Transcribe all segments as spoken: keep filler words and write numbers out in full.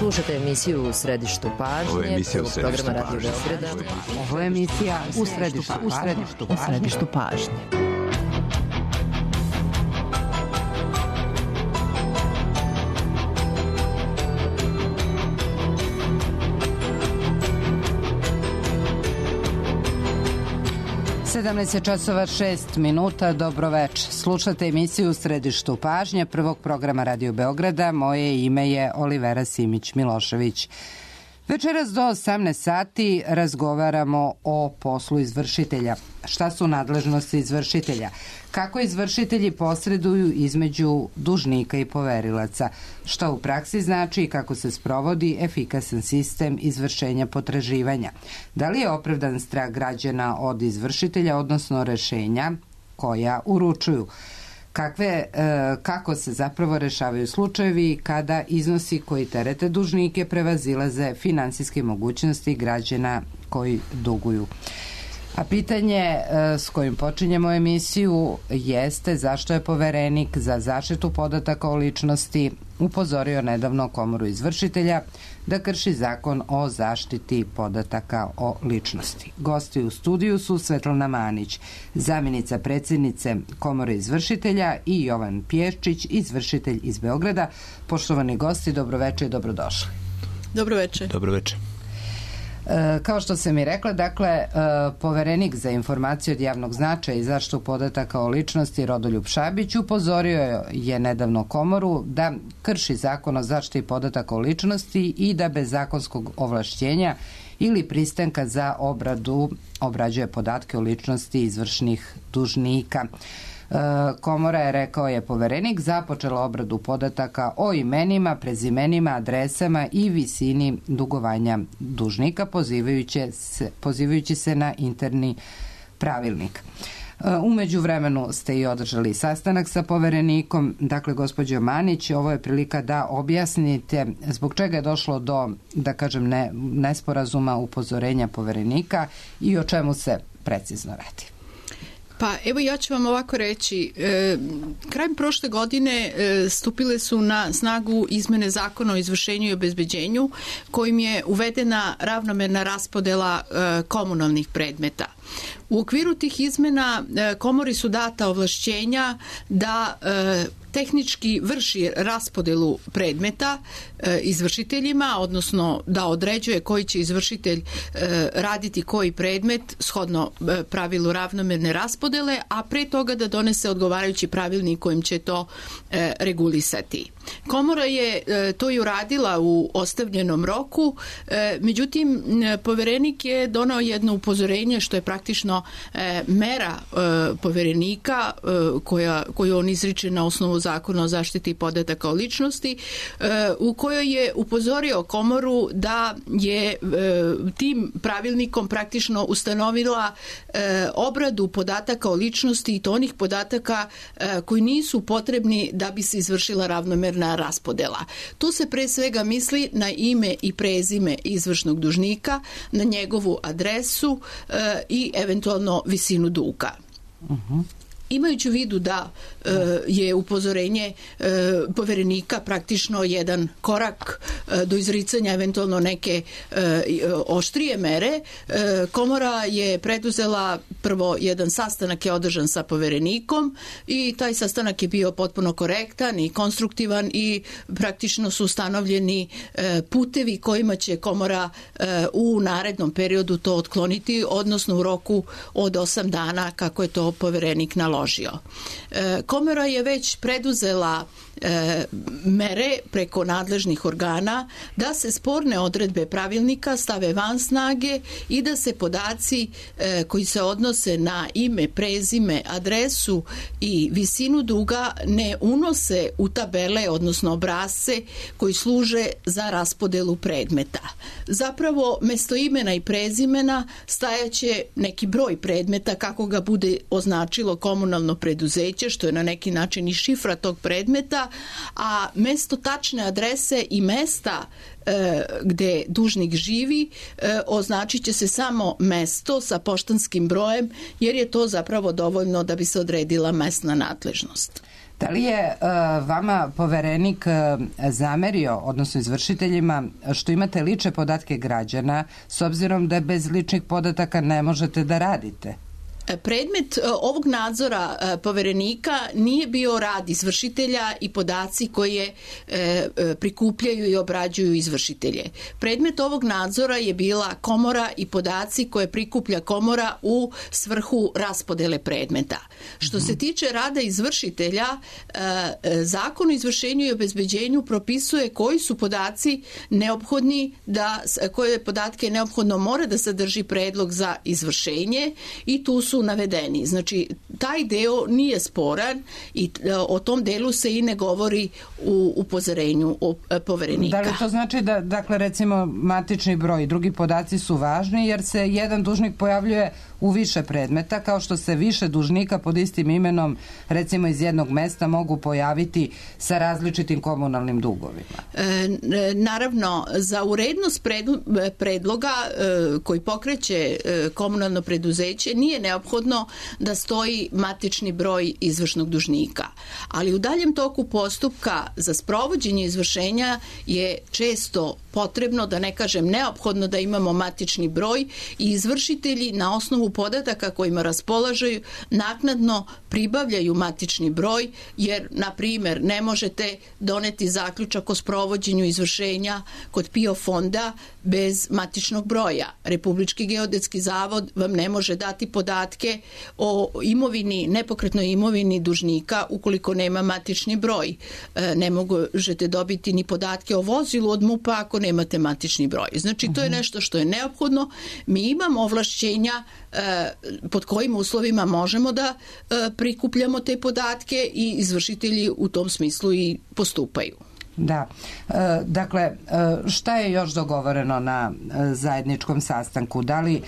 Slušajte emisiju U središtu pažnje. Ovo je emisija U središtu programa pažnje. Radio Beograda. Ovo je emisija U središtu, u središtu, u središtu pažnje. sedamnaest časova šest minuta, dobro večer. Slušate emisiju U središtu pažnje prvog programa Radio Beograda. Moje ime je Olivera Simić-Milošević. Večeras do osamnaest sati razgovaramo o poslu izvršitelja. Šta su nadležnosti izvršitelja? Kako izvršitelji posreduju između dužnika i poverilaca? Šta u praksi znači i kako se sprovodi efikasan sistem izvršenja potraživanja? Da li je opravdan strah građana od izvršitelja, odnosno rešenja koja uručuju? Kakve, e, kako se zapravo rešavaju slučajevi kada iznosi koji terete dužnike prevazilaze finansijske mogućnosti građana koji duguju. A pitanje e, s kojim počinjemo emisiju jeste zašto je Poverenik za zaštitu podataka o ličnosti upozorio nedavno Komoru izvršitelja da krši zakon o zaštiti podataka o ličnosti. Gosti u studiju su Svetlana Manić, zamjenica predsjednice Komore izvršitelja, i Jovan Pješčić, izvršitelj iz Beograda. Poštovani gosti, dobroveče i dobrodošli. Dobroveče. Dobroveče. E, kao što sam i rekla, dakle, e, Poverenik za informacije od javnog značaja i zaštitu podataka o ličnosti Rodoljub Šabić upozorio je nedavno Komoru da krši zakon o zaštiti podataka o ličnosti i da bez zakonskog ovlašćenja ili pristanka za obradu obrađuje podatke o ličnosti izvršnih dužnika. Komora je, rekao je Poverenik, započela obradu podataka o imenima, prezimenima, adresama i visini dugovanja dužnika, pozivajući se, pozivajući se na interni pravilnik. U međuvremenu ste i održali sastanak sa Poverenikom. Dakle, gospođo Manić, ovo je prilika da objasnite zbog čega je došlo do, da kažem, ne, nesporazuma, upozorenja Poverenika i o čemu se precizno radi. Pa evo ja ću vam ovako reći, e, krajem prošle godine e, stupile su na snagu izmene zakona o izvršenju i obezbeđenju kojim je uvedena ravnomerna raspodela e, komunalnih predmeta. U okviru tih izmena e, Komori su data ovlašćenja da e, tehnički vrši raspodelu predmeta e, izvršiteljima, odnosno da određuje koji će izvršitelj e, raditi koji predmet shodno e, pravilu ravnomerne raspodele, a pre toga da donese odgovarajući pravilnik kojim će to e, regulisati. Komora je e, to i uradila u ostavljenom roku, e, međutim Poverenik je donao jedno upozorenje što je praktično e, mera e, Poverenika e, koja, koju on izriče na osnovu zakona o zaštiti podataka o ličnosti, u kojoj je upozorio Komoru da je tim pravilnikom praktično ustanovila obradu podataka o ličnosti i to onih podataka koji nisu potrebni da bi se izvršila ravnomerna raspodela. Tu se pre svega misli na ime i prezime izvršnog dužnika, na njegovu adresu i eventualno visinu duga. Uh-huh. Imajući u vidu da e, je upozorenje e, Poverenika praktično jedan korak e, do izricanja eventualno neke e, oštrije mere, e, Komora je preduzela prvo jedan sastanak je održan sa Poverenikom i taj sastanak je bio potpuno korektan i konstruktivan i praktično su ustanovljeni e, putevi kojima će Komora e, u narednom periodu to otkloniti, odnosno u roku od osam dana kako je to Poverenik naložio. Komora je već preduzela e, mere preko nadležnih organa da se sporne odredbe pravilnika stave van snage i da se podaci e, koji se odnose na ime, prezime, adresu i visinu duga ne unose u tabele, odnosno obrasce koji služe za raspodelu predmeta. Zapravo, mesto imena i prezimena stajaće neki broj predmeta kako ga bude označilo komunalno preduzeće, što je na neki način i šifra tog predmeta, a mesto tačne adrese i mesta e, gde dužnik živi e, označit će se samo mesto sa poštanskim brojem, jer je to zapravo dovoljno da bi se odredila mesna nadležnost. Da li je uh, vama poverenik uh, zamerio, odnosno izvršiteljima, što imate lične podatke građana, s obzirom da bez ličnih podataka ne možete da radite? Predmet ovog nadzora poverenika nije bio rad izvršitelja i podaci koje prikupljaju i obrađuju izvršitelje. Predmet ovog nadzora je bila komora i podaci koje prikuplja komora u svrhu raspodele predmeta. Što se tiče rada izvršitelja, Zakon o izvršenju i obezbeđenju propisuje koji su podaci neophodni, da, koje podatke neophodno mora da sadrži predlog za izvršenje i tu su su navedeni. Znači, taj deo nije sporan i o tom delu se i ne govori u upozorenju poverenika. Da li to znači da, dakle, recimo, matični broj i drugi podaci su važni jer se jedan dužnik pojavljuje u više predmeta, kao što se više dužnika pod istim imenom, recimo iz jednog mesta, mogu pojaviti sa različitim komunalnim dugovima? E, naravno, za urednost predloga e, koji pokreće e, komunalno preduzeće nije neophodno da stoji matični broj izvršnog dužnika. Ali u daljem toku postupka za sprovođenje izvršenja je često potrebno, da ne kažem neophodno, da imamo matični broj i izvršitelji na osnovu podataka kojima raspolažaju naknadno pribavljaju matični broj, jer, na primjer, ne možete doneti zaključak o sprovođenju izvršenja kod P I O fonda bez matičnog broja. Republički geodetski zavod vam ne može dati podatke o imovini, nepokretnoj imovini dužnika ukoliko nema matični broj. Ne možete dobiti ni podatke o vozilu od MUP-a ako nemate matični broj. Znači, to je nešto što je neophodno. Mi imamo ovlašćenja pod kojim uslovima možemo da prikupljamo te podatke i izvršitelji u tom smislu i postupaju. Da. E, dakle, šta je još dogovoreno na zajedničkom sastanku? Da li, e,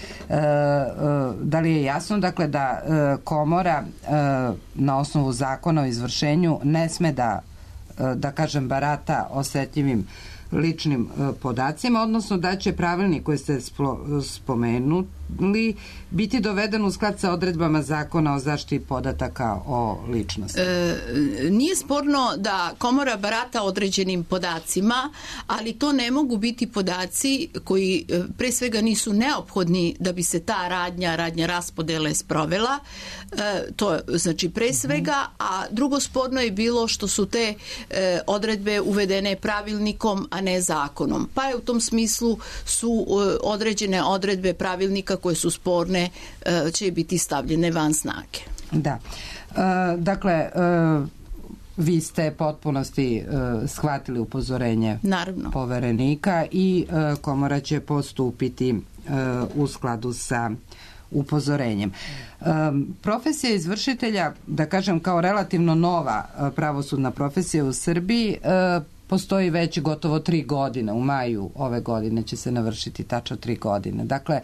da li je jasno, dakle, da komora na osnovu zakona o izvršenju ne sme da, da kažem, barata osetljivim ličnim podacima, odnosno da će pravilnik koji ste spomenuli biti doveden u sklad sa odredbama Zakona o zaštiti podataka o ličnosti? E, nije sporno da komora barata određenim podacima, ali to ne mogu biti podaci koji pre svega nisu neophodni da bi se ta radnja, radnja raspodele sprovela. E, to znači pre svega, a drugo sporno je bilo što su te e, odredbe uvedene pravilnikom, a ne zakonom. Pa je u tom smislu su e, određene odredbe pravilnika koje su sporne, će biti stavljene van snage. Da. E, dakle, e, vi ste potpunosti e, shvatili upozorenje Naravno. poverenika i e, komora će postupiti e, u skladu sa upozorenjem. E, profesija izvršitelja, da kažem, kao relativno nova pravosudna profesija u Srbiji, e, postoji već gotovo tri godine. U maju ove godine će se navršiti tačno tri godine. Dakle,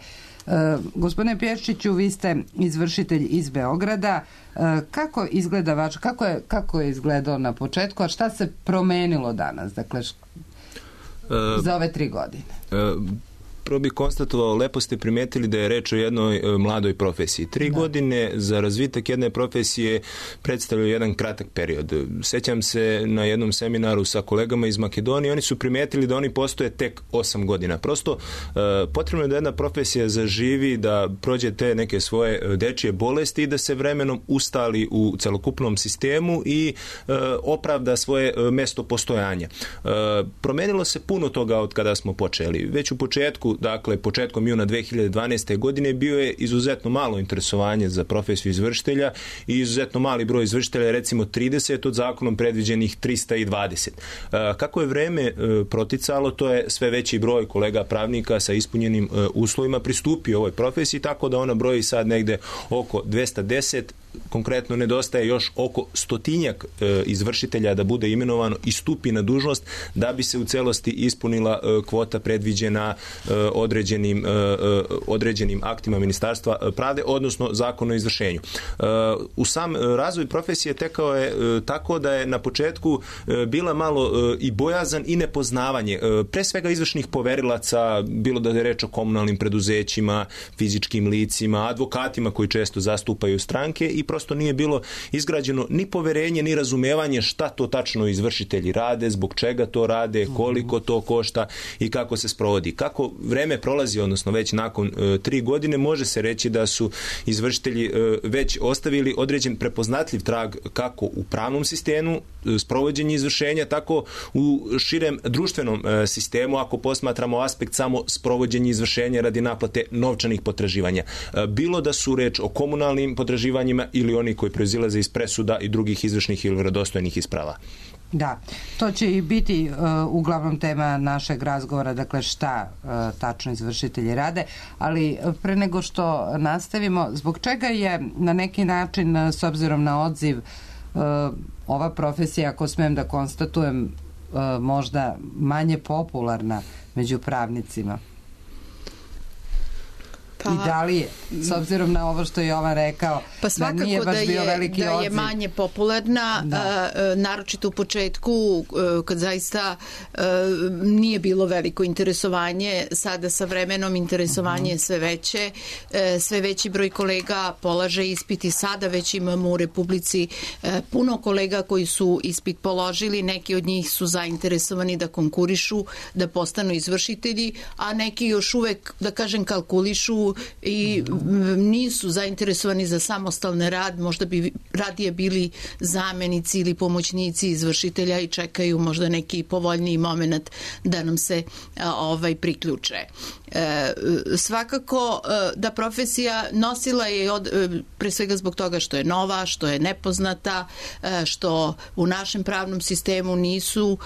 e, gospodine Pješčiću, vi ste izvršitelj iz Beograda. E, kako izgleda vaš, kako je, kako je izgledao na početku, a šta se promenilo danas, dakle, š, e, za ove tri godine? E, Prvo bih konstatovao, lepo ste primetili da je reč o jednoj e, mladoj profesiji. Tri da. godine za razvitak jedne profesije predstavljaju jedan kratak period. Sećam se na jednom seminaru sa kolegama iz Makedonije, oni su primetili da oni postoje tek osam godina. Prosto e, potrebno je da jedna profesija zaživi, da prođe te neke svoje dečije bolesti i da se vremenom ustali u celokupnom sistemu i e, opravda svoje e, mesto postojanja. E, promenilo se puno toga od kada smo počeli. Već u početku, dakle, početkom juna dve hiljade dvanaeste. godine bio je izuzetno malo interesovanje za profesiju izvršitelja i izuzetno mali broj izvršitelja, recimo trideset od zakonom predviđenih trista dvadeset. Kako je vreme proticalo, to je sve veći broj kolega pravnika sa ispunjenim uslovima pristupio ovoj profesiji, tako da ona broji sad negde oko dvesta deset. Konkretno nedostaje još oko stotinjak e, izvršitelja da bude imenovano i stupi na dužnost da bi se u celosti ispunila e, kvota predviđena e, određenim, e, određenim aktima Ministarstva pravde, odnosno Zakon o izvršenju. E, u sam razvoj profesije tekao je e, tako da je na početku e, bila malo e, i bojazan i nepoznavanje. E, pre svega izvršnih poverilaca, bilo da je reč o komunalnim preduzećima, fizičkim licima, advokatima koji često zastupaju stranke i i prosto nije bilo izgrađeno ni poverenje, ni razumevanje šta to tačno izvršitelji rade, zbog čega to rade, koliko to košta i kako se sprovodi. Kako vreme prolazi, odnosno već nakon e, tri godine, može se reći da su izvršitelji e, već ostavili određen prepoznatljiv trag kako u pravnom sistemu, e, sprovođenje izvršenja, tako u širem društvenom e, sistemu, ako posmatramo aspekt samo sprovođenja izvršenja radi naplate novčanih potraživanja. E, bilo da su reč o komunalnim potraživanjima ili oni koji proizilaze iz presuda i drugih izvršnih ili vjerodostojnih isprava. Da, to će i biti uh, uglavnom tema našeg razgovora, dakle šta uh, tačno izvršitelji rade, ali pre nego što nastavimo, zbog čega je na neki način, s obzirom na odziv, uh, ova profesija, ako smijem da konstatujem, uh, možda manje popularna među pravnicima? Pa, i da li je, s obzirom na ovo što je Jovan rekao, pa svakako da nije baš da je, bio veliki da odziv. je manje popularna, a, naročito u početku, kad zaista a, nije bilo veliko interesovanje, sada sa vremenom interesovanje je sve veće, a, sve veći broj kolega polaže ispit i sada već imamo u Republici a, puno kolega koji su ispit položili, neki od njih su zainteresovani da konkurišu, da postanu izvršitelji, a neki još uvek, da kažem, kalkulišu i nisu zainteresovani za samostalni rad, možda bi radije bili zamenici ili pomoćnici izvršitelja i čekaju možda neki povoljniji moment da nam se a, ovaj priključe. E, svakako da profesija nosila je od, pre svega zbog toga što je nova, što je nepoznata, što u našem pravnom sistemu nisu,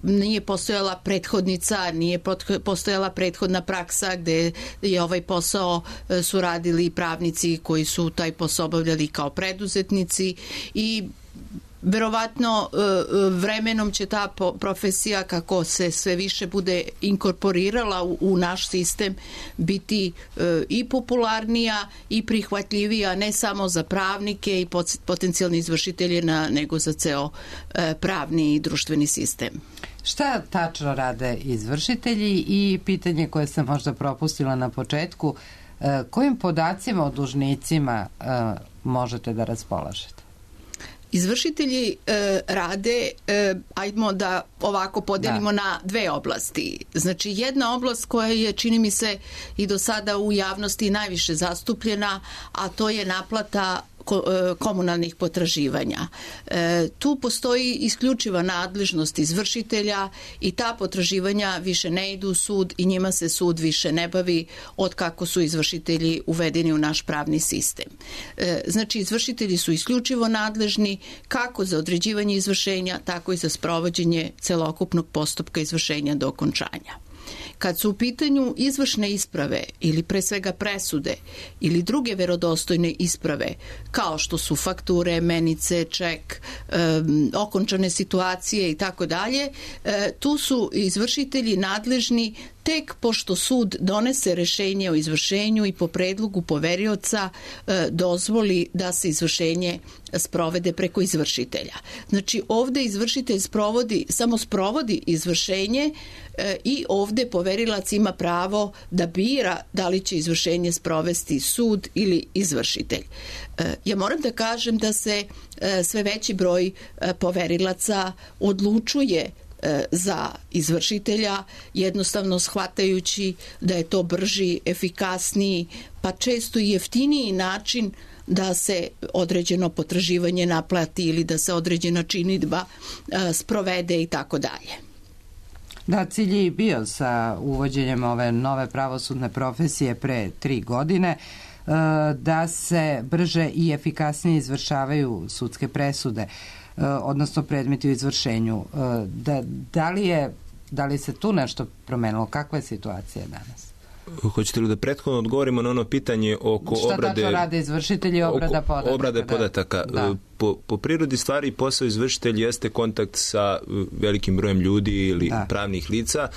nije postojala prethodnica, nije postojala prethodna praksa gde je ovaj posao su radili pravnici koji su taj posao obavljali kao preduzetnici i verovatno vremenom će ta profesija, kako se sve više bude inkorporirala u naš sistem, biti i popularnija i prihvatljivija ne samo za pravnike i potencijalni izvršitelje, nego za ceo pravni i društveni sistem. Šta tačno rade izvršitelji i pitanje koje sam možda propustila na početku, kojim podacima o dužnicima možete da raspolažete? Izvršitelji e, rade, e, ajdemo da ovako podelimo da. na dve oblasti. Znači, jedna oblast koja je, čini mi se, i do sada u javnosti najviše zastupljena, a to je naplata komunalnih potraživanja. E, tu postoji isključiva nadležnost izvršitelja i ta potraživanja više ne idu u sud i njima se sud više ne bavi od kako su izvršitelji uvedeni u naš pravni sistem. E, znači, izvršitelji su isključivo nadležni kako za određivanje izvršenja, tako i za sprovođenje celokupnog postupka izvršenja do okončanja. Kad su u pitanju izvršne isprave ili pre svega presude ili druge verodostojne isprave, kao što su fakture, menice, ček, um, okončane situacije i tako dalje, tu su izvršitelji nadležni tek pošto sud donese rešenje o izvršenju i po predlogu poverioca e, dozvoli da se izvršenje sprovede preko izvršitelja. Znači, ovde izvršitelj sprovodi, samo sprovodi izvršenje e, i ovde poverilac ima pravo da bira da li će izvršenje sprovesti sud ili izvršitelj. E, ja moram da kažem da se e, sve veći broj e, poverilaca odlučuje za izvršitelja, jednostavno shvatajući da je to brži, efikasniji, pa često i jeftiniji način da se određeno potraživanje naplati ili da se određena činidba sprovede i tako dalje. Da, cilj je bio sa uvođenjem ove nove pravosudne profesije pre tri godine da se brže i efikasnije izvršavaju sudske presude, odnosno predmeti u izvršenju. Da, da, li je, da li se tu nešto promenilo? Kakva je situacija danas? Hoćete li da prethodno odgovorimo na ono pitanje oko Šta obrade... Šta tačno rade izvršitelji i obrada podataka? Obrade podataka. Da. Po, po prirodi stvari posao izvršitelj jeste kontakt sa velikim brojem ljudi ili da. pravnih lica,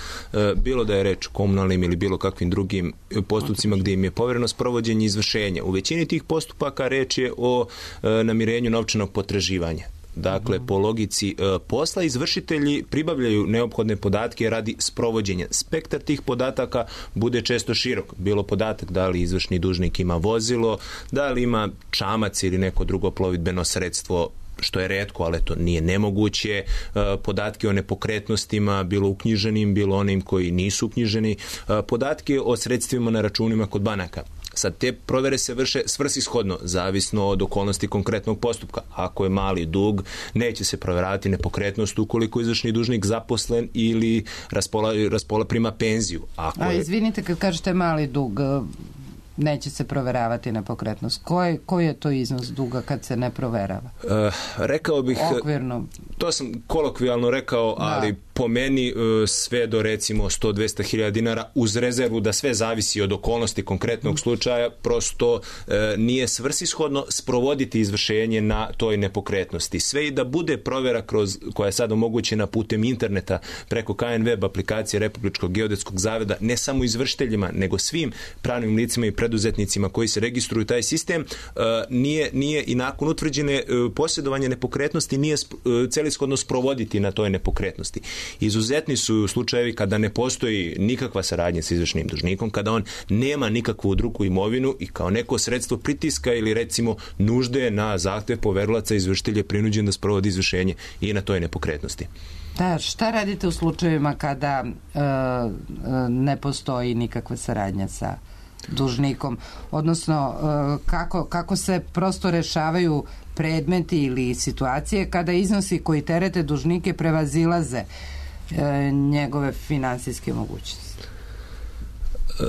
bilo da je reč o komunalnim ili bilo kakvim drugim postupcima gdje im je povereno sprovođenje izvršenja. U većini tih postupaka reč je o namirenju novčanog potraživanja. Dakle, mm-hmm. po logici uh, posla izvršitelji pribavljaju neophodne podatke radi sprovođenja. Spektar tih podataka bude često širok. Bilo podatak da li izvršni dužnik ima vozilo, da li ima čamac ili neko drugo plovidbeno sredstvo, što je retko, ali to nije nemoguće. Podatke o nepokretnostima, bilo uknjiženim, bilo onim koji nisu uknjiženi. Podatke o sredstvima na računima kod banaka. Sad, te provere se vrše svrsishodno, zavisno od okolnosti konkretnog postupka. Ako je mali dug, neće se proveravati nepokretnost ukoliko je izvršni dužnik zaposlen ili raspola, raspola prima penziju. Ako A je... izvinite, kad kažete mali dug, neće se proveravati nepokretnost. Koji koji je to iznos duga kad se ne proverava? Uh, rekao bih... Okvirno. To sam kolokvijalno rekao, ali da. po meni uh, sve do recimo sto do dvesta hiljada dinara uz rezervu da sve zavisi od okolnosti konkretnog mm. slučaja, prosto uh, nije svrsishodno sprovoditi izvršenje na toj nepokretnosti. Sve i da bude provera kroz, koja je sad omogućena putem interneta preko K N web aplikacije Republičkog geodetskog zavoda, ne samo izvršiteljima, nego svim pravnim licima i preduzetnicima koji se registruju taj sistem, uh, nije, nije i nakon utvrđene uh, posjedovanje nepokretnosti nije uh, celishodno sprovoditi na toj nepokretnosti. Izuzetni su slučajevi kada ne postoji nikakva saradnja sa izvršnim dužnikom, kada on nema nikakvu drugu imovinu i kao neko sredstvo pritiska ili recimo nužde na zahtev poverilaca izvršitelj je prinuđen da sprovodi izvršenje i na toj nepokretnosti. Da, šta radite u slučajevima kada uh, ne postoji nikakva saradnja sa dužnikom, odnosno kako, kako se prosto rešavaju predmeti ili situacije kada iznosi koji terete dužnike prevazilaze e, njegove finansijske mogućnosti? E,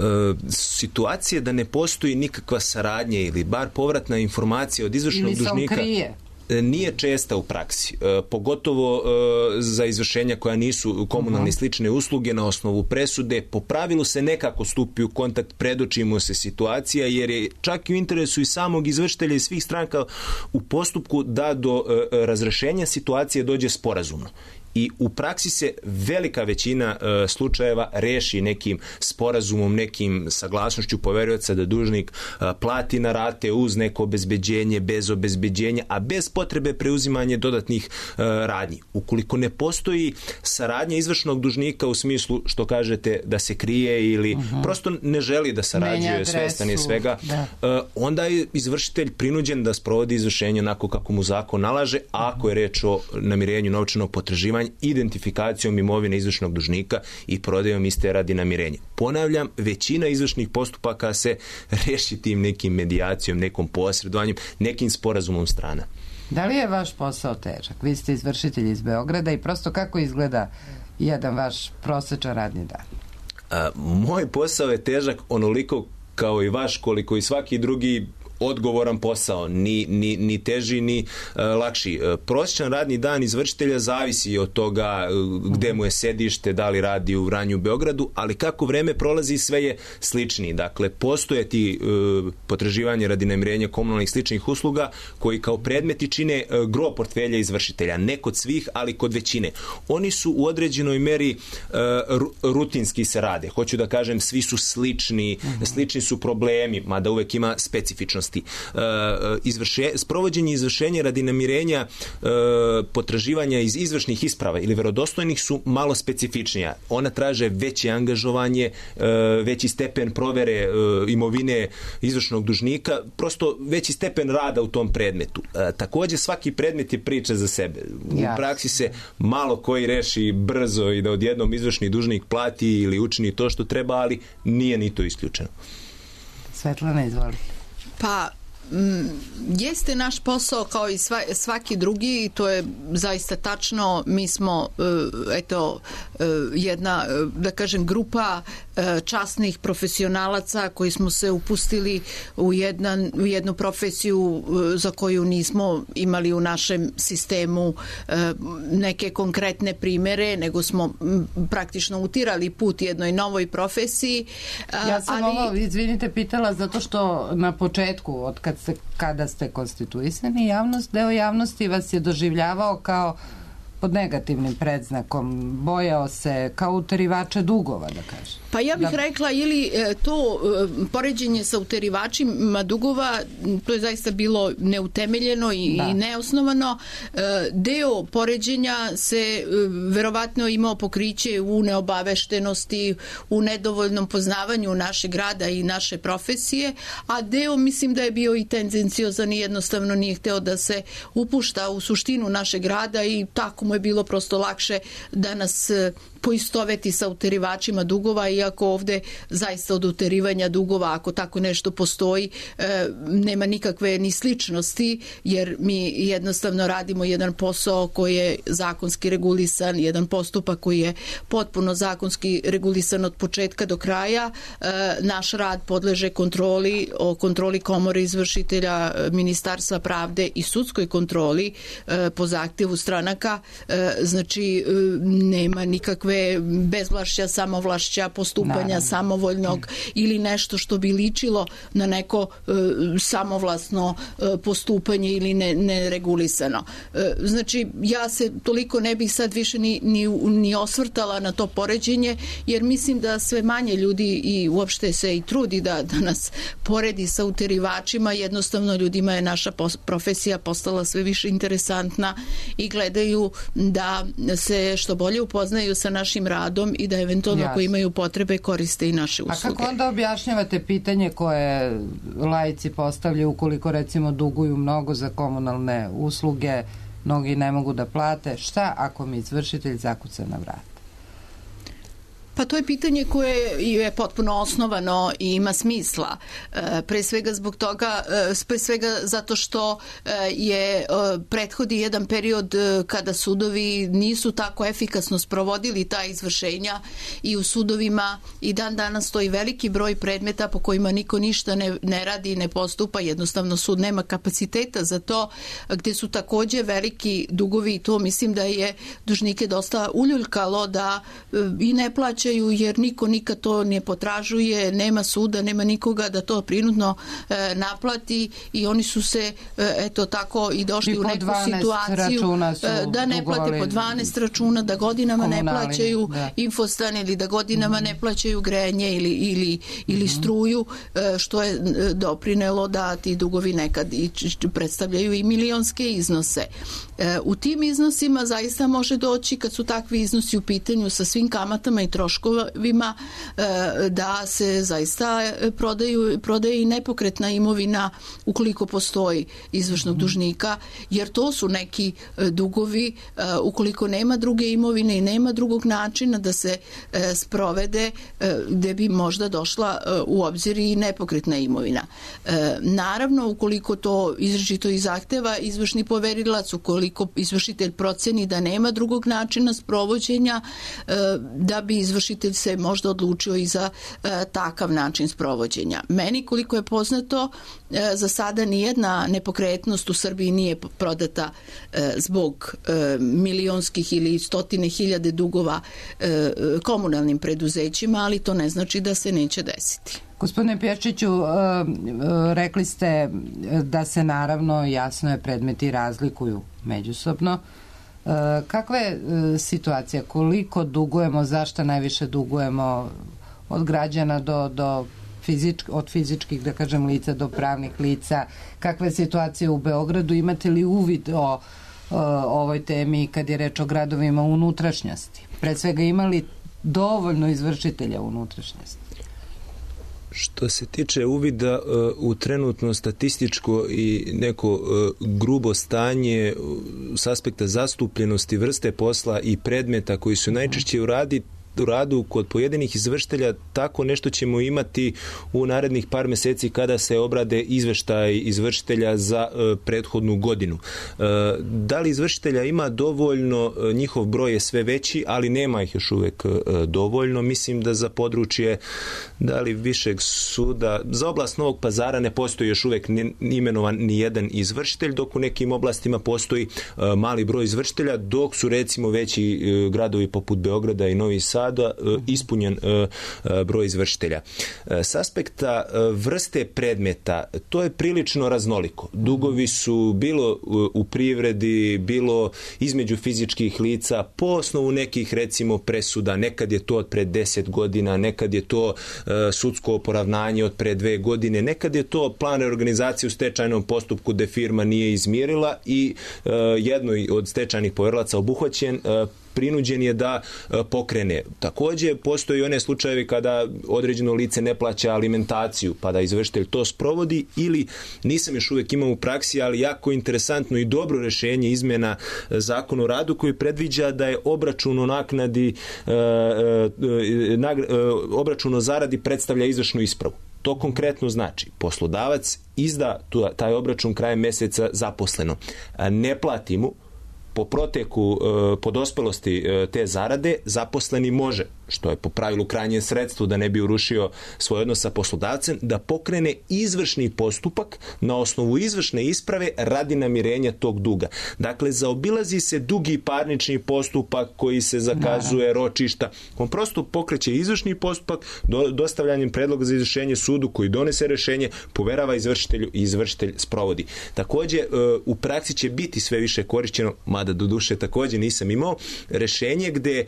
situacije da ne postoji nikakva saradnja ili bar povratna informacija od izvršnog ili dužnika krije. Nije česta u praksi, e, pogotovo e, za izvršenja koja nisu komunalne uh-huh. slične usluge na osnovu presude. Po pravilu se nekako stupi u kontakt, predoči mu se situacija, jer je čak i u interesu i samog izvršitelja i svih stranka u postupku da do e, razrešenja situacije dođe sporazumno. I u praksi se velika većina e, slučajeva reši nekim sporazumom, nekim saglasnošću poverioca da dužnik e, plati na rate uz neko obezbeđenje, bez obezbeđenja, a bez potrebe preuzimanja dodatnih e, radnji. Ukoliko ne postoji saradnja izvršnog dužnika u smislu što kažete da se krije ili uh-huh. prosto ne želi da sarađuje, svestan je svega, da. e, onda je izvršitelj prinuđen da sprovodi izvršenje onako kako mu zakon nalaže, a ako je reč o namirenju novčanog potraživanja, identifikacijom imovine izvršnog dužnika i prodajom iste radi namirenja. Ponavljam, većina izvršnih postupaka se reši tim nekim medijacijom, nekom posredovanjem, nekim sporazumom strana. Da li je vaš posao težak? Vi ste izvršitelj iz Beograda i prosto kako izgleda jedan vaš prosečan radni dan? A, moj posao je težak onoliko kao i vaš, koliko i svaki drugi odgovoran posao, ni, ni, ni teži, ni uh, lakši. Uh, prosječan radni dan izvršitelja zavisi od toga uh, gde mu je sedište, da li radi u Vranju, Beogradu, ali kako vreme prolazi sve je sličniji. Dakle, postoje ti uh, potraživanje radi namirenja komunalnih sličnih usluga koji kao predmeti čine uh, gro portfelja izvršitelja. Ne kod svih, ali kod većine. Oni su u određenoj meri uh, rutinski se rade. Hoću da kažem, svi su slični, uh-huh. slični su problemi, mada uvek ima specifičnosti. Uh, izvrše, sprovođenje izvršenja radi namirenja uh, potraživanja iz izvršnih isprava ili verodostojnih su malo specifičnija. Ona traže veće angažovanje, uh, veći stepen provere uh, imovine izvršnog dužnika, prosto veći stepen rada u tom predmetu. Uh, takođe, svaki predmet je priča za sebe. U yes. praksi se malo koji reši brzo i da odjednom izvršni dužnik plati ili učini to što treba, ali nije ni to isključeno. Svetlana, izvolite. Pa, m, jeste naš posao kao i sva, svaki drugi i to je zaista tačno. Mi smo, e, eto, e, jedna, da kažem, grupa e, časnih profesionalaca koji smo se upustili u, jedan, u jednu profesiju e, za koju nismo imali u našem sistemu e, neke konkretne primere, nego smo m, praktično utirali put jednoj novoj profesiji. A, ja sam ali... ovo, izvinite, pitala zato što na početku, od kad ste, kada ste konstituisani, javnost, deo javnosti vas je doživljavao kao pod negativnim predznakom, bojao se kao uterivača dugova, da kažem. Pa ja bih da... rekla, ili to poređenje sa uterivačima dugova, to je zaista bilo neutemeljeno i, da. i neosnovano. Deo poređenja se verovatno imao pokriće u neobaveštenosti, u nedovoljnom poznavanju našeg grada i naše profesije, a deo mislim da je bio i tendenciozan i jednostavno nije hteo da se upušta u suštinu našeg grada i tako mu je bilo prosto lakše da nas poistoveti sa uterivačima dugova, iako ovde zaista od uterivanja dugova, ako tako nešto postoji, e, nema nikakve ni sličnosti, jer mi jednostavno radimo jedan posao koji je zakonski regulisan, jedan postupak koji je potpuno zakonski regulisan od početka do kraja. E, naš rad podleže kontroli, o kontroli komore izvršitelja, Ministarstva pravde i sudskoj kontroli e, po zahtjevu stranaka. E, znači, e, nema nikakve bezvlašća, samovlašća, postupanja Naravno. samovoljnog ili nešto što bi ličilo na neko e, samovlasno e, postupanje ili ne, neregulisano. E, znači, ja se toliko ne bih sad više ni, ni, ni osvrtala na to poređenje, jer mislim da sve manje ljudi i uopšte se i trudi da, da nas poredi sa uterivačima, jednostavno ljudima je naša profesija postala sve više interesantna i gledaju da se što bolje upoznaju sa našim radom i da eventualno Jasne. ako imaju potrebe koriste i naše usluge. A kako onda objašnjavate pitanje koje laici postavljaju ukoliko recimo duguju mnogo za komunalne usluge, mnogi ne mogu da plate, šta ako mi izvršitelj zakuca na vrat? Pa to je pitanje koje je potpuno osnovano i ima smisla. Pre svega zbog toga, pre svega zato što je prethodi jedan period kada sudovi nisu tako efikasno sprovodili ta izvršenja i u sudovima i dan danas stoji veliki broj predmeta po kojima niko ništa ne, ne radi i ne postupa, jednostavno sud nema kapaciteta za to, gde su takođe veliki dugovi i to mislim da je dužnike dosta uljuljkalo da i ne plaća jer niko nikad to ne potražuje, nema suda, nema nikoga da to prinudno e, naplati i oni su se e, eto tako i došli I u neku situaciju e, da ne plate po dvanaest računa, da godinama ne plaćaju da. infostan ili da godinama mm. ne plaćaju grejanje ili, ili, ili mm. struju, e, što je doprinelo da ti dugovi nekad i predstavljaju i milionske iznose. E, u tim iznosima zaista može doći, kad su takvi iznosi u pitanju sa svim kamatama i troškovima, da se zaista prodaju, prodaje i nepokretna imovina ukoliko postoji izvršnog dužnika, jer to su neki dugovi ukoliko nema druge imovine i nema drugog načina da se sprovede, gde bi možda došla u obzir i nepokretna imovina. Naravno, ukoliko to izričito i zahteva izvršni poverilac, ukoliko izvršitelj proceni da nema drugog načina sprovođenja, da bi izvršitelj se možda odlučio i za e, takav način sprovođenja. Meni, koliko je poznato, e, za sada nijedna nepokretnost u Srbiji nije prodata e, zbog e, milionskih ili stotine hiljade dugova e, komunalnim preduzećima, ali to ne znači da se neće desiti. Gospodine Pješčiću, rekli ste da se naravno, jasno je, predmeti razlikuju međusobno. Kakva je situacija? Koliko dugujemo? Zašto najviše dugujemo od građana do, do fizičk, od fizičkih, da kažem, lica do pravnih lica? Kakva je situacija u Beogradu? Imate li uvid o, o ovoj temi kad je reč o gradovima unutrašnjosti? Pre svega, ima li dovoljno izvršitelja unutrašnjosti? Što se tiče uvida u trenutno statističko i neko grubo stanje s aspekta zastupljenosti vrste posla i predmeta koji su najčešće u radi, u radu kod pojedinih izvršitelja, tako nešto ćemo imati u narednih par meseci kada se obrade izveštaj izvršitelja za e, prethodnu godinu. E, da li izvršitelja ima dovoljno, e, njihov broj je sve veći, ali nema ih još uvek e, dovoljno. Mislim da za područje da li višeg suda, za oblast Novog Pazara ne postoji još uvek ni, imenovan ni jedan izvršitelj, dok u nekim oblastima postoji e, mali broj izvršitelja, dok su recimo veći e, gradovi poput Beograda i Novi Sad rada ispunjen broj izvršitelja. S aspekta vrste predmeta, to je prilično raznoliko. Dugovi su bilo u privredi, bilo između fizičkih lica, po osnovu nekih recimo presuda, nekad je to od pre deset godina, nekad je to sudsko poravnanje od pre dve godine, nekad je to plan reorganizacije u stečajnom postupku gde firma nije izmirila i jednoj od stečajnih poverilaca obuhvaćen, prinuđen je da pokrene. Takođe, postoji one slučajevi kada određeno lice ne plaća alimentaciju, pa da izvršitelj to sprovodi, ili nisam još uvijek imao u praksi, ali jako interesantno i dobro rešenje izmena Zakona o radu koji predviđa da je obračun o naknadi, obračun o zaradi predstavlja izvršnu ispravu. To konkretno znači poslodavac izda taj obračun krajem meseca zaposleno. Ne plati mu, po proteku, po dospelosti te zarade, zaposleni može, što je po pravilu krajnje sredstvo da ne bi urušio svoj odnos sa poslodavcem, da pokrene izvršni postupak na osnovu izvršne isprave radi namirenja tog duga. Dakle, zaobilazi se dugi parnični postupak koji se zakazuje, ročišta. On prosto pokreće izvršni postupak do, dostavljanjem predloga za izvršenje sudu koji donese rešenje, poverava izvršitelju i izvršitelj sprovodi. Takođe, u praksi će biti sve više korišćeno, mada do duše takođe nisam imao, rešenje gde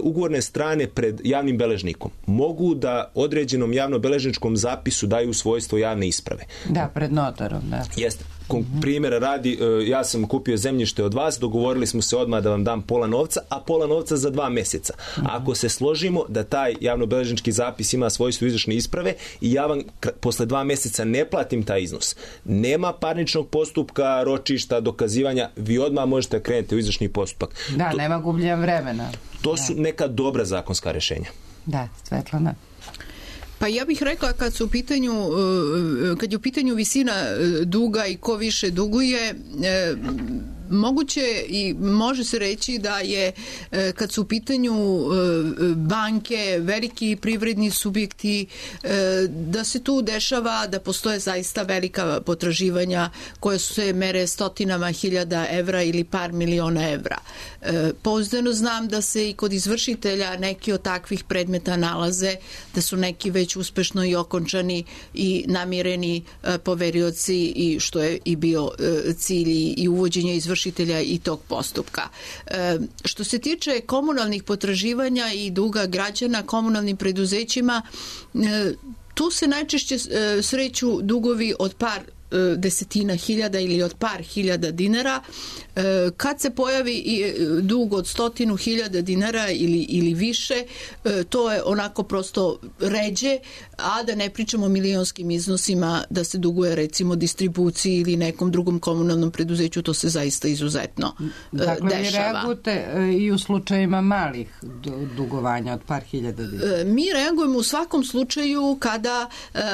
ugovorne strane pred javnim beležnikom mogu da određenom javno-beležničkom zapisu daju svojstvo javne isprave. Da, pred notarom, da. Jeste. Primjera radi, ja sam kupio zemljište od vas, dogovorili smo se odmah da vam dam pola novca, a pola novca za dva meseca. Ako se složimo da taj javno-beležnički zapis ima svojstvo izvršne isprave i ja vam posle dva meseca ne platim taj iznos, nema parničnog postupka, ročišta, dokazivanja, vi odmah možete krenuti u izvršni postupak. Da, to, nema gubljenja vremena. To da. su neka dobra zakonska rešenja. Da, Svetlana. Pa ja bih rekla kad su u pitanju, kad je u pitanju visina duga i ko više duguje, moguće i može se reći da je kad su u pitanju banke, veliki privredni subjekti, da se tu dešava da postoje zaista velika potraživanja koje su se mere stotinama hiljada evra ili par miliona evra. Pouzdano znam da se i kod izvršitelja neki od takvih predmeta nalaze, da su neki već uspešno i okončani i namireni poverioci, i što je i bio cilj i uvođenja izvršitelja i tog postupka. Što se tiče komunalnih potraživanja i duga građana komunalnim preduzećima, tu se najčešće sreću dugovi od par desetina hiljada ili od par hiljada dinara. Kad se pojavi dug od stotinu hiljada dinara ili, ili više, to je onako prosto ređe, a da ne pričamo o milionskim iznosima da se duguje recimo distribuciji ili nekom drugom komunalnom preduzeću, to se zaista izuzetno dakle, dešava. Dakle, vi reagujete i u slučajima malih dugovanja od par hiljada dinara? Mi reagujemo u svakom slučaju kada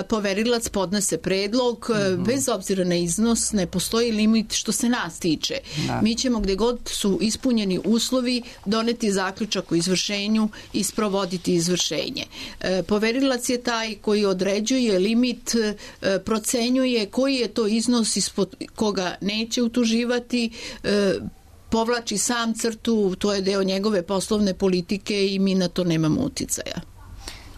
poverilac podnese predlog, mm-hmm. bez obzira na iznos, ne postoji limit što se nas tiče. Da. Mi ćemo gde god su ispunjeni uslovi doneti zaključak o izvršenju i sprovoditi izvršenje. Poverilac je taj koji određuje limit, procenjuje koji je to iznos ispod koga neće utuživati, povlači sam crtu, to je deo njegove poslovne politike i mi na to nemamo uticaja.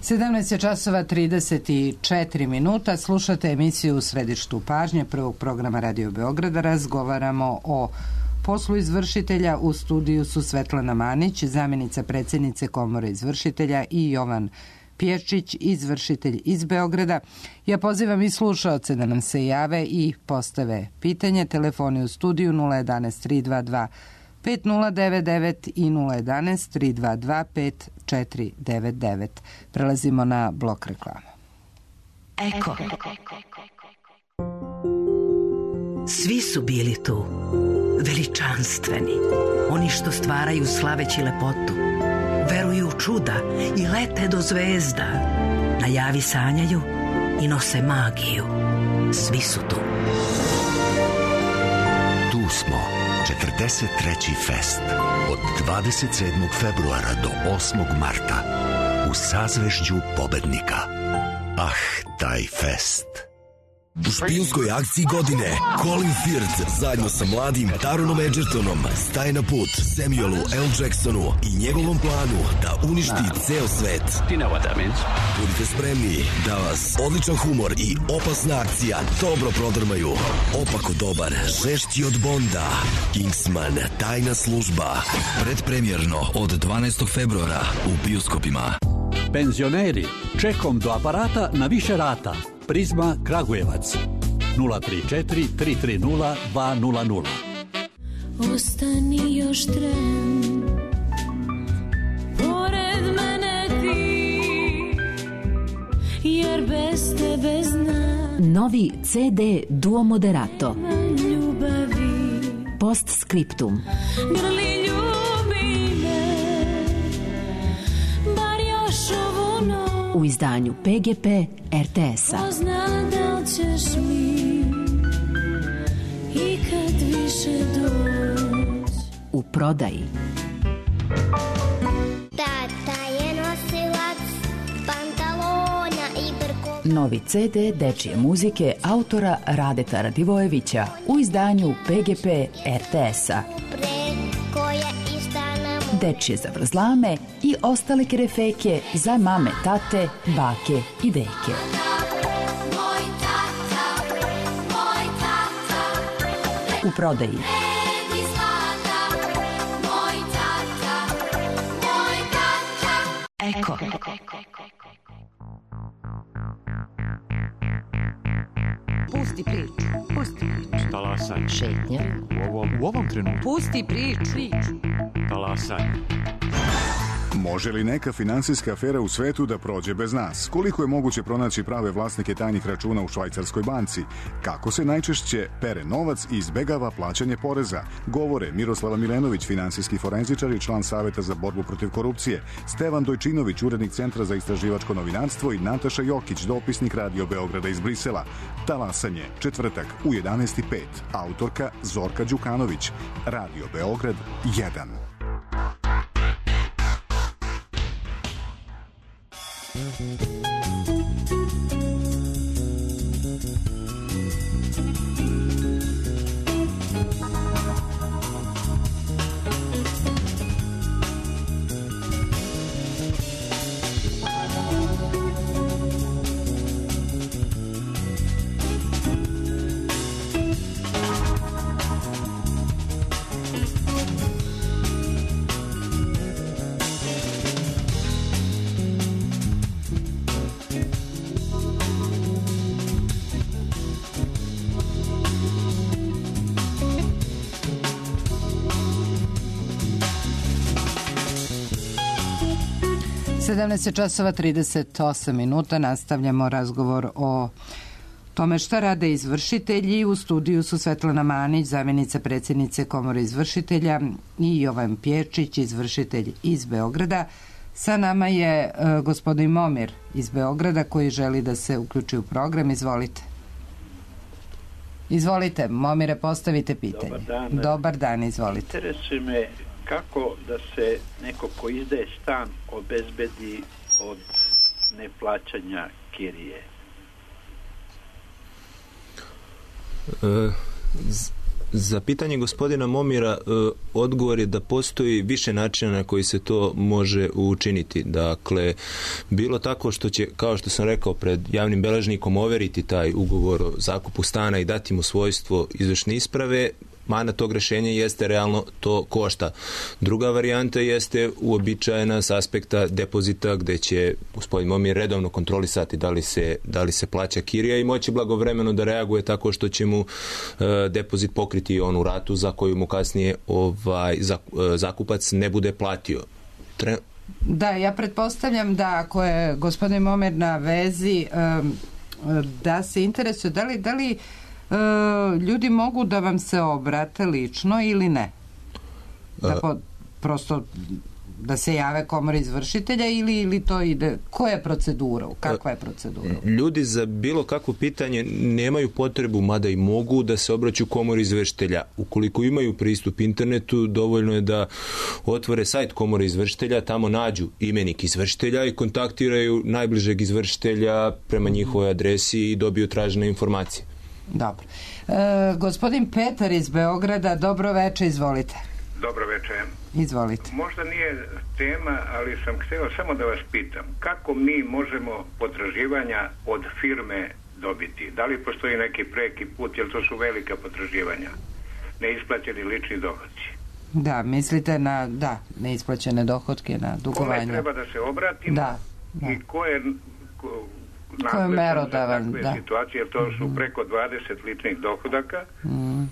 sedamnaest časova trideset četiri minuta, slušate emisiju U središtu pažnje prvog programa Radio Beograda. Razgovaramo o poslu izvršitelja. U studiju su Svetlana Manić, zamjenica predsjednice Komore izvršitelja, i Jovan Pječić, izvršitelj iz Beograda. Ja pozivam i slušaoce da nam se jave i postave pitanje. Telefoni u studiju nula jedan tri dva dva pet nula devet devet i nula jedan tri dva dva pet četiri devet devet. Prelazimo na blok reklama. Eko. Svi su bili tu, veličanstveni, oni što stvaraju slaveći lepotu, veruju u čuda i lete do zvezda, na javi sanjaju i nose magiju. Svi su tu. Tu smo, četrdeset treći fest, od dvadeset sedmog februara do osmog marta, u sazvežđu pobednika. Ah, taj fest. U špijunskoj akciji godine Colin Firth zajedno sa mladim Taronom Edgertonom staje na put Samuelu L. Jacksonu i njegovom planu da uništi ceo svet. Budite spremni da vas odličan humor i opasna akcija dobro prodrmaju. Opako dobar, žešći od Bonda. Kingsman, tajna služba. Predpremjerno od dvanaestog februara u bioskopima. Penzioneri, čekom do aparata na više rata. Prizma Kragujevac nula tri četiri tri tri nula dva nula nula. Ostani još tren, pored mene ti, jer bez tebe znam. Novi C D Duo Moderato. Ljubavi. Postscriptum. Grli ljubi me, bar još ovu noć. U izdanju P G P R T S-a. Pozna da li ćeš mi i kad više doć. U prodaji. Tata je nosilac pantalona i brkova. Novi C D dečije muzike autora Radeta Radivojevića u izdanju P G P R T S-a. Dečije zavrzlame i ostale kerefeke za mame, tate, bake i deke. U prodaji. Eko. Pusti priču, pusti priču. Talasaj. Šetnja. U ovom, u ovom trenutku. Pusti priču. Talasaj. Može li neka finansijska afera u svetu da prođe bez nas? Koliko je moguće pronaći prave vlasnike tajnih računa u švajcarskoj banci? Kako se najčešće pere novac i izbegava plaćanje poreza? Govore Miroslava Milenović, finansijski forenzičar i član Saveta za borbu protiv korupcije, Stevan Dojčinović, urednik Centra za istraživačko novinarstvo i Nataša Jokić, dopisnik Radio Beograda iz Brisela. Talasanje, četvrtak u jedanaest i pet. Autorka Zorka Đukanović. Radio Beograd jedan. sedamnaest časova trideset osam minuta, nastavljamo razgovor o tome šta rade izvršitelji. U studiju su Svetlana Manić, zamjenica predsjednice Komore izvršitelja, i Jovan Pječić, izvršitelj iz Beograda. Sa nama je uh, gospodin Momir iz Beograda koji želi da se uključi u program. Izvolite. Izvolite, Momire, postavite pitanje. Dobar dan. Dobar dan, izvolite. Interesuje me kako da se neko ko izdaje stan obezbedi od neplaćanja kirije? E, za pitanje gospodina Momira e, odgovor je da postoji više načina na koji se to može učiniti. Dakle, bilo tako što će, kao što sam rekao, pred javnim beležnikom overiti taj ugovor o zakupu stana i dati mu svojstvo izvršne isprave. Mana tog rešenja jeste realno to košta. Druga varijanta jeste uobičajena s aspekta depozita, gde će gospodin Momir redovno kontrolisati da li se, da li se plaća kirija i moći blagovremeno da reaguje tako što će mu e, depozit pokriti onu ratu za koju mu kasnije ovaj, zakupac ne bude platio. Tre... Da, ja pretpostavljam da ako je gospodin Momir na vezi, da se interesuje da li, da li E, ljudi mogu da vam se obrate lično ili ne? Da po, prosto Da se jave komori izvršitelja ili, ili to ide, koja je procedura, kakva je procedura? Ljudi za bilo kakvo pitanje nemaju potrebu, mada i mogu, da se obraćaju komori izvršitelja. Ukoliko imaju pristup internetu, dovoljno je da otvore sajt komore izvršitelja, tamo nađu imenik izvršitelja i kontaktiraju najbližeg izvršitelja prema njihovoj adresi i dobiju tražene informacije. Dobro. E, gospodin Petar iz Beograda, dobro veče, izvolite. Dobro veče. Izvolite. Možda nije tema, ali sam htio samo da vas pitam. Kako mi možemo potraživanja od firme dobiti? Da li postoji neki preki put, jer to su velika potraživanja? Neisplaćeni lični dohodci. Da, mislite na, da, neisplaćene dohodke, na dugovanja. Kome treba da se obratimo? Da, da. I ko je... Ko, ko je merodavan, da. Situacije, jer to su preko dvadeset ličnih dohodaka. Mm.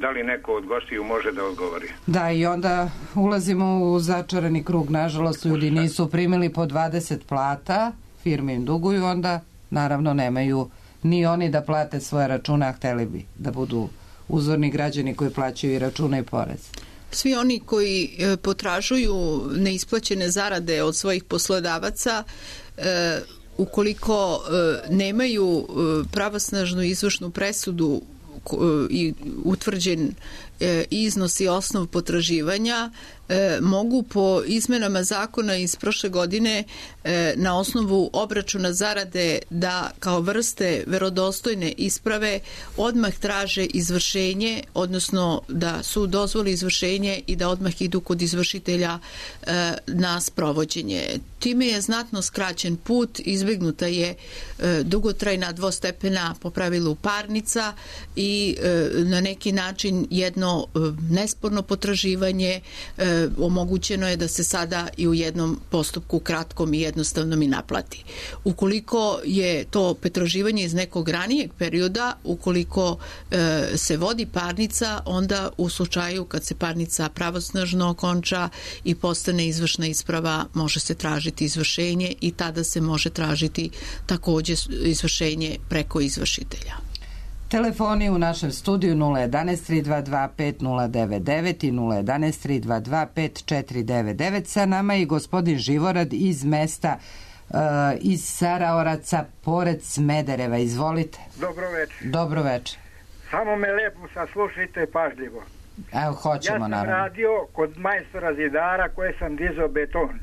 Da li neko od gostiju može da odgovori? Da, i onda ulazimo u začarani krug. Nažalost, ljudi nisu primili po dvadeset plata, firme im duguju, onda naravno nemaju ni oni da plate svoje račune, a hteli bi da budu uzorni građani koji plaćaju i račune i porez. Svi oni koji e, potražuju neisplaćene zarade od svojih poslodavaca, e, ukoliko e, nemaju e, pravosnažnu izvršnu presudu i utvrđen e, iznos i osnov potraživanja, e, mogu po izmenama zakona iz prošle godine e, na osnovu obračuna zarade da kao vrste verodostojne isprave odmah traže izvršenje, odnosno da su dozvoli izvršenje i da odmah idu kod izvršitelja e, na sprovođenje. Time je znatno skraćen put, izbegnuta je e, dugotrajna dvostepena po pravilu parnica i e, na neki način jedno e, nesporno potraživanje e, omogućeno je da se sada i u jednom postupku kratkom i jednostavnom i naplati. Ukoliko je to potraživanje iz nekog ranijeg perioda, ukoliko e, se vodi parnica, onda u slučaju kad se parnica pravosnažno okonča i postane izvršna isprava, može se tražiti izvršenje i tada se može tražiti također izvršenje preko izvršitelja. Telefoni u našem studiju nula jedan tri dva dva pet nula devet devet i nula jedan tri dva dva pet četiri devet devet. Sa nama je gospodin Živorad iz mesta uh, iz Saraoraca pored Smedereva. Izvolite. Dobro večer. Dobro večer. Samo me lepo saslušajte pažljivo. Evo, hoćemo, ja sam naravno. radio kod majstora zidara koje sam dizao beton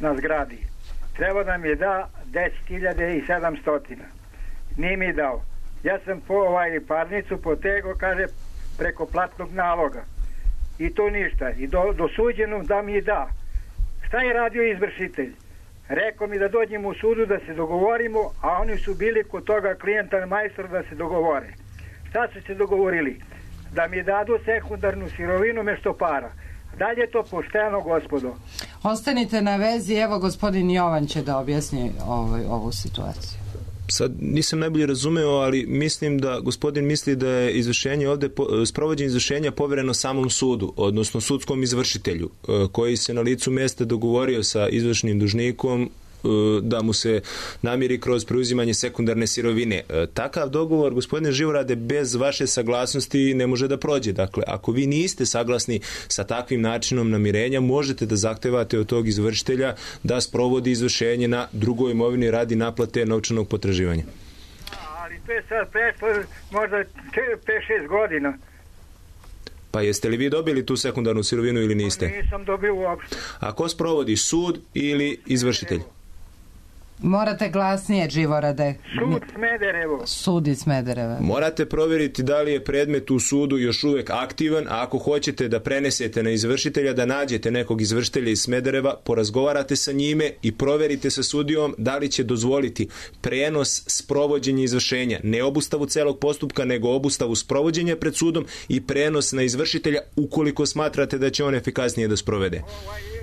na zgradi. Treba da mi da deset hiljada sedamsto. Nije mi dao. Ja sam po ovaj parnicu potegao, kaže, preko platnog naloga. I to ništa. I do, dosuđeno da mi da. Šta je radio izvršitelj? Rekao mi da dođem u sudu da se dogovorimo, a oni su bili kod toga klijenta majstora da se dogovore. Šta su se dogovorili? Da mi dadu sekundarnu sirovinu mesto para. Da li je to pošteno, gospodo? Ostanite na vezi, evo gospodin Jovan će da objasni ovaj, ovu situaciju. Sad nisam najbolje razumeo, ali mislim da gospodin misli da je izvršenje ovde, sprovođenje izvršenja povereno samom sudu, odnosno sudskom izvršitelju, koji se na licu mesta dogovorio sa izvršnim dužnikom da mu se namiri kroz preuzimanje sekundarne sirovine. Takav dogovor, gospodine Živorade, bez vaše saglasnosti ne može da prođe. Dakle, ako vi niste saglasni sa takvim načinom namirenja, možete da zahtevate od tog izvršitelja da sprovodi izvršenje na drugoj imovini radi naplate novčanog potraživanja. Ali to je sad prešlo možda pet šest godina. Pa jeste li vi dobili tu sekundarnu sirovinu ili niste? Nisam dobio uopšte. A ko sprovodi, sud ili izvršitelj? Morate glasnije, Živorade. Sud Smederevo. Sud iz Smedereva. Morate provjeriti da li je predmet u sudu još uvek aktivan, a ako hoćete da prenesete na izvršitelja, da nađete nekog izvršitelja iz Smedereva, porazgovarate sa njime i proverite sa sudijom da li će dozvoliti prenos sprovođenja izvršenja. Ne obustavu celog postupka, nego obustavu sprovođenja pred sudom i prenos na izvršitelja ukoliko smatrate da će on efikasnije da sprovede.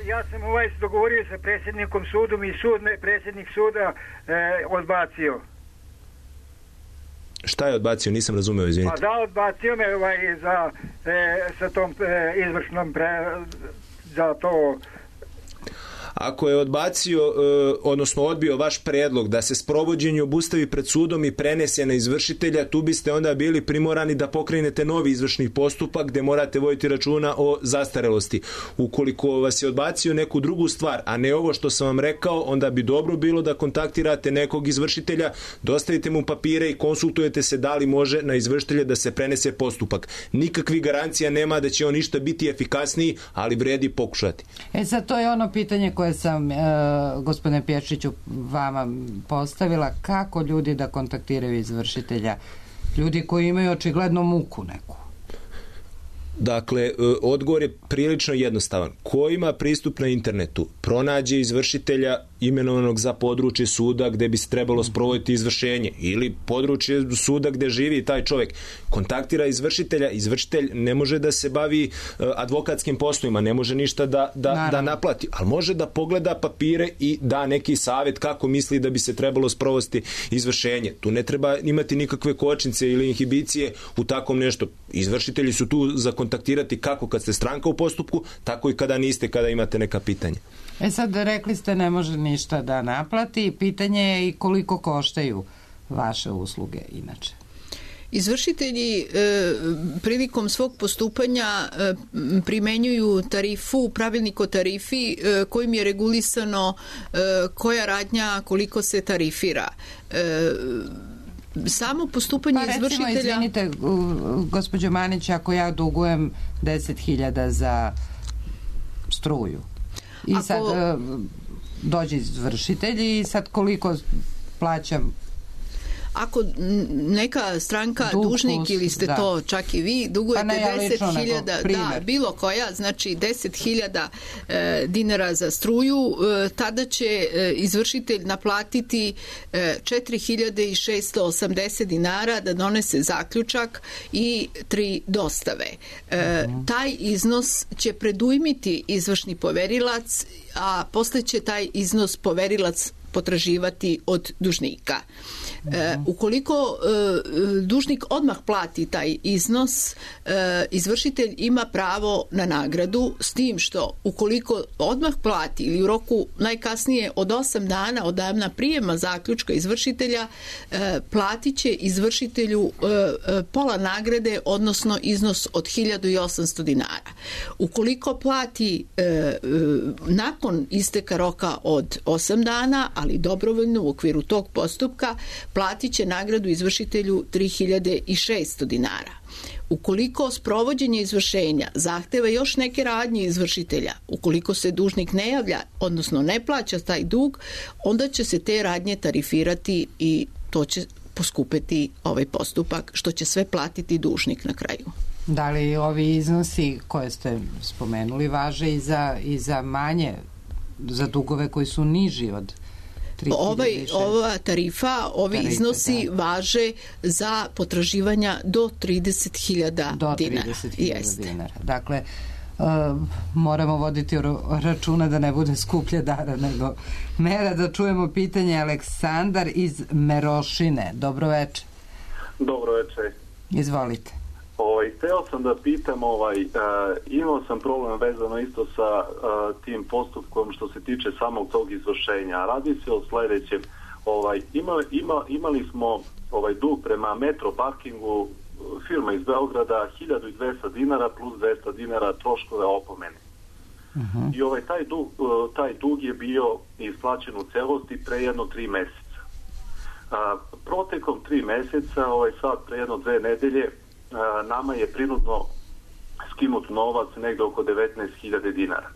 Ja sam ovaj dogovorio sa predsjednikom sudom i sud me, predsjednik suda e, odbacio. Šta je odbacio? Nisam razumeo, izvinite. Pa da, odbacio me ovaj za, e, sa tom e, izvršnom pre, za to. Ako je odbacio, odnosno odbio vaš predlog da se sprovođenje obustavi pred sudom i prenese na izvršitelja, tu biste onda bili primorani da pokrenete novi izvršni postupak gde morate voditi računa o zastarelosti. Ukoliko vas je odbacio neku drugu stvar, a ne ovo što sam vam rekao, onda bi dobro bilo da kontaktirate nekog izvršitelja, dostavite mu papire i konsultujete se da li može na izvršitelja da se prenese postupak. Nikakvi garancija nema da će on ništa biti efikasniji, ali vredi pokušati. E sad, to je ono pitanje koje sam, e, gospodine Pječiću, vama postavila. Kako ljudi da kontaktiraju izvršitelja? Ljudi koji imaju očigledno muku neku. Dakle, odgovor je prilično jednostavan. Ko ima pristup na internetu, pronađe izvršitelja imenovanog za područje suda gde bi se trebalo sprovoditi izvršenje ili područje suda gde živi taj čovjek, kontaktira izvršitelja. Izvršitelj ne može da se bavi advokatskim poslovima, ne može ništa da, da, da naplati, ali može da pogleda papire i da neki savjet kako misli da bi se trebalo sprovesti izvršenje. Tu ne treba imati nikakve kočnice ili inhibicije u takvom nešto. Izvršitelji su tu za kontaktirati kako kad ste stranka u postupku, tako i kada niste, kada imate neka pitanja. E sad, rekli ste ne može ništa da naplati, pitanje je i koliko koštaju vaše usluge inače. Izvršitelji e, prilikom svog postupanja e, primenjuju tarifu, pravilnik o tarifi e, kojim je regulisano e, koja radnja koliko se tarifira. E, samo postupanje pa, recimo, izvršitelja... izvinite, gospođo Manić, ako ja dugujem deset hiljada za struju i ako... sad dođe izvršitelj i sad koliko plaćam? Ako neka stranka, Dug, dužnik ili ste da. to čak i vi, dugujete pa deset hiljada, da, bilo koja, znači deset hiljada e, dinara za struju, e, tada će e, izvršitelj naplatiti e, četiri hiljade šeststo osamdeset dinara da donese zaključak i tri dostave. E, uh-huh. Taj iznos će predujmiti izvršni poverilac, a posle će taj iznos poverilac potraživati od dužnika. E, ukoliko e, dužnik odmah plati taj iznos, e, izvršitelj ima pravo na nagradu, s tim što ukoliko odmah plati ili u roku najkasnije od osam dana od dana prijema zaključka izvršitelja, e, platit će izvršitelju e, e, pola nagrade, odnosno iznos od hiljadu osamsto dinara. Ukoliko plati e, e, nakon isteka roka od osam dana, ali dobrovoljno u okviru tog postupka, platit će nagradu izvršitelju tri hiljade šeststo dinara. Ukoliko sprovođenje izvršenja zahteva još neke radnje izvršitelja, ukoliko se dužnik ne javlja, odnosno ne plaća taj dug, onda će se te radnje tarifirati i to će poskupeti ovaj postupak, što će sve platiti dužnik na kraju. Da li ovi iznosi koje ste spomenuli važe i za, i za manje, za dugove koji su niži od Ovaj, ova tarifa, ovi Tarife, iznosi da. važe za potraživanja do trideset hiljada dinara. trideset hiljada dinara. Dakle, uh, moramo voditi računa da ne bude skuplje dara nego mera. Da čujemo pitanje Aleksandar iz Merošine. Dobro večer. Dobro večer. Izvolite. Ovaj, teo sam da pitam, ovaj, uh, imao sam problem vezano isto sa uh, tim postupkom što se tiče samog tog izvršenja. Radi se o sljedećem. Ovaj, ima, ima, imali smo ovaj dug prema Metro parkingu, firma iz Beograda, hiljadu dvesta dinara plus dvesta dinara troškove opomene. Uh-huh. I ovaj, taj, dug, uh, taj dug je bio isplaćen u celosti pre jedno tri meseca. Uh, protekom tri meseca, ovaj, sad pre jedno dve nedelje, nama je prinudno skinut novac negde oko devetnaest hiljada dinara.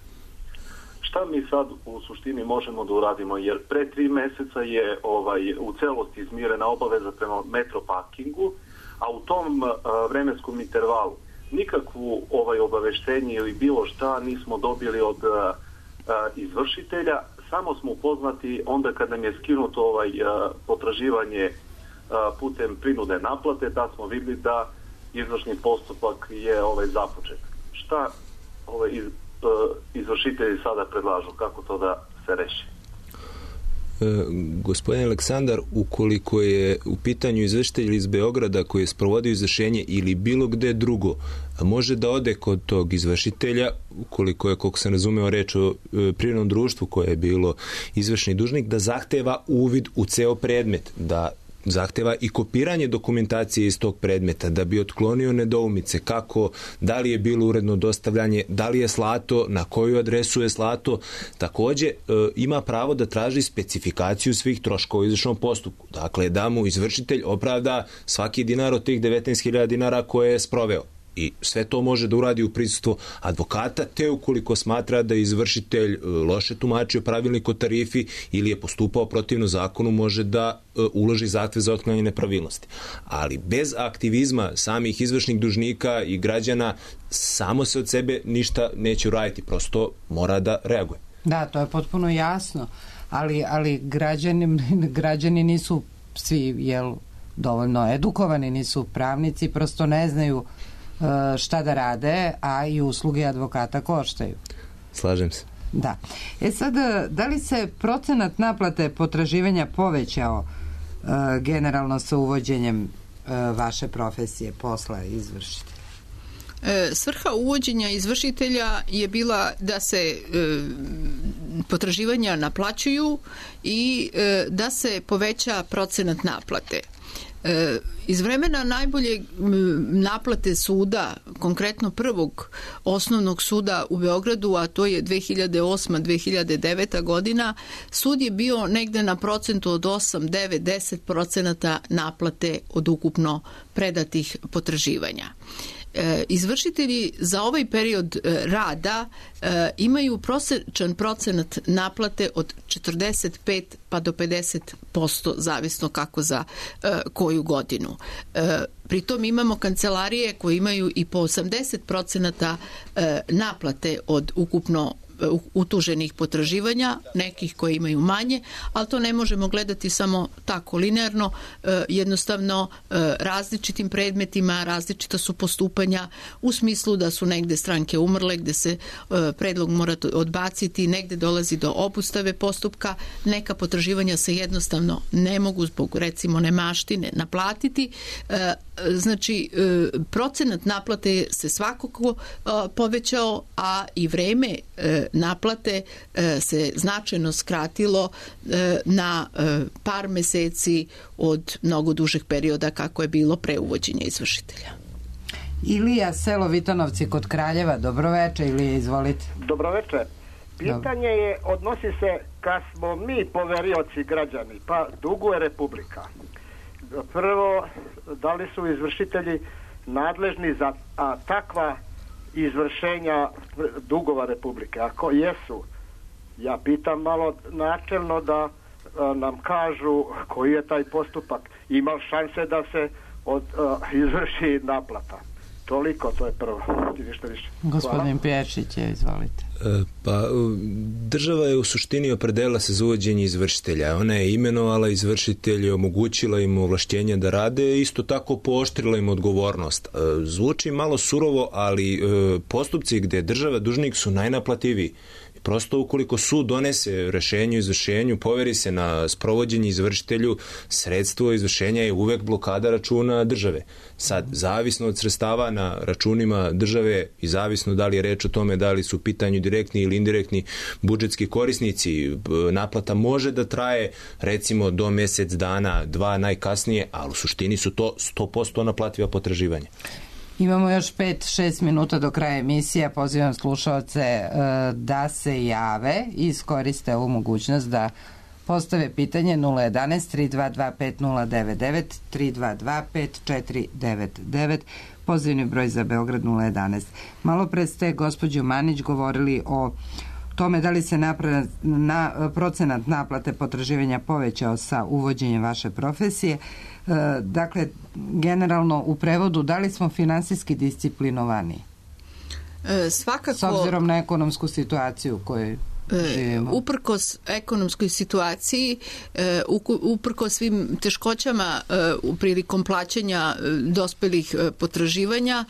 Šta mi sad u suštini možemo da uradimo? Jer pre tri meseca je ovaj, u celosti izmirena obaveza prema Metro parkingu, a u tom uh, vremenskom intervalu nikakvu ovaj, obaveštenje ili bilo šta nismo dobili od uh, uh, izvršitelja, samo smo upoznati onda kad nam je skinuto ovaj, uh, potraživanje uh, putem prinude naplate, da smo vidjeli da izvršni postupak je ovaj započet. Šta ovaj iz, uh, izvršitelji sada predlažu? Kako to da se reši? Gospodin Aleksandar, ukoliko je u pitanju izvršitelj iz Beograda koji je sprovodio izvršenje ili bilo gde drugo, može da ode kod tog izvršitelja, ukoliko je, koliko sam razumeo, reč o privrednom društvu koje je bilo izvršni dužnik, da zahteva uvid u ceo predmet, da zahteva i kopiranje dokumentacije iz tog predmeta da bi otklonio nedoumice kako, da li je bilo uredno dostavljanje, da li je slato, na koju adresu je slato. Takođe, e, ima pravo da traži specifikaciju svih troškova u izvršnom postupku. Dakle, da mu izvršitelj opravda svaki dinar od tih devetnaest hiljada dinara koje je sproveo. I sve to može da uradi u prisustvu advokata, te ukoliko smatra da je izvršitelj loše tumačio pravilnik o tarifi ili je postupao protivno zakonu, može da uloži zahtev za otklanjanje nepravilnosti. Ali bez aktivizma samih izvršnih dužnika i građana samo se od sebe ništa neće uraditi, prosto mora da reaguje. Da, to je potpuno jasno, ali, ali građani, građani nisu svi jel, dovoljno edukovani, nisu pravnici, prosto ne znaju šta da rade, a i usluge advokata koštaju. Slažem se. Da. E sad, da li se procenat naplate potraživanja povećao uh, generalno sa uvođenjem uh, vaše profesije posla izvršitelja? E, svrha uvođenja izvršitelja je bila da se e, potraživanja naplaćuju i e, da se poveća procenat naplate. E, iz vremena najbolje naplate suda, konkretno prvog osnovnog suda u Beogradu, a to je dve hiljade osma do dve hiljade deveta godina, sud je bio negde na procentu od osam, devet, deset procenata naplate od ukupno predatih potraživanja. Izvršitelji za ovaj period rada imaju prosječan procenat naplate od četrdeset pet pa do pedeset posto, zavisno kako za koju godinu. Pritom imamo kancelarije koje imaju i po osamdeset procenata naplate od ukupno utuženih potraživanja, nekih koji imaju manje, ali to ne možemo gledati samo tako linearno, jednostavno različitim predmetima, različita su postupanja u smislu da su negde stranke umrle, gde se predlog mora odbaciti, negde dolazi do obustave postupka, neka potraživanja se jednostavno ne mogu zbog recimo nemaštine naplatiti. Znači, procenat naplate se svakako povećao, a i vreme naplate se značajno skratilo na par meseci od mnogo dužeg perioda kako je bilo pre uvođenja izvršitelja. Ilija, selo Vitanovci kod Kraljeva, dobroveče. Ilija, izvolite. Dobroveče. Pitanje je, odnosi se kad smo mi poverioci građani, pa duguje Republika. Prvo, da li su izvršitelji nadležni za a, takva izvršenja dugova Republike? Ako jesu, ja pitam malo načelno da a, nam kažu koji je taj postupak. Ima šanse da se od, a, izvrši naplata. Toliko, to je prvo. Ništa više. Gospodin Pječić, je, izvolite. Pa, država je u suštini opredela se za uvođenje izvršitelja. Ona je imenovala izvršitelje, omogućila im ovlašćenja da rade, isto tako pooštrila im odgovornost. Zvuči malo surovo, ali postupci gde država dužnik su najnaplativiji. Prosto ukoliko sud donese rešenje o izvršenju, poveri se na sprovođenje izvršitelju, sredstvo izvršenja je uvek blokada računa države. Sad, zavisno od sredstava na računima države i zavisno da li je reč o tome da li su u pitanju direktni ili indirektni budžetski korisnici, naplata može da traje recimo do mesec dana, dva najkasnije, ali u suštini su to sto posto naplativa potraživanja. Imamo još pet šest minuta do kraja emisije. Pozivam slušalce uh, da se jave i iskoriste ovu mogućnost da postave pitanje nula jedanaest tri dva dva pet nula devet devet tri dva dva pet četiri devet devet, pozivni broj za Beograd nula jedanaest. Malo pre ste, gospođo Manić, govorili o tome da li se napra, na, procenat naplate potraživanja povećao sa uvođenjem vaše profesije. Dakle, generalno u prevodu, da li smo finansijski disciplinovani? E, svakako... S obzirom na ekonomsku situaciju koju živimo. Uprkos ekonomskoj situaciji, uprkos svim teškoćama prilikom plaćanja dospelih potraživanja,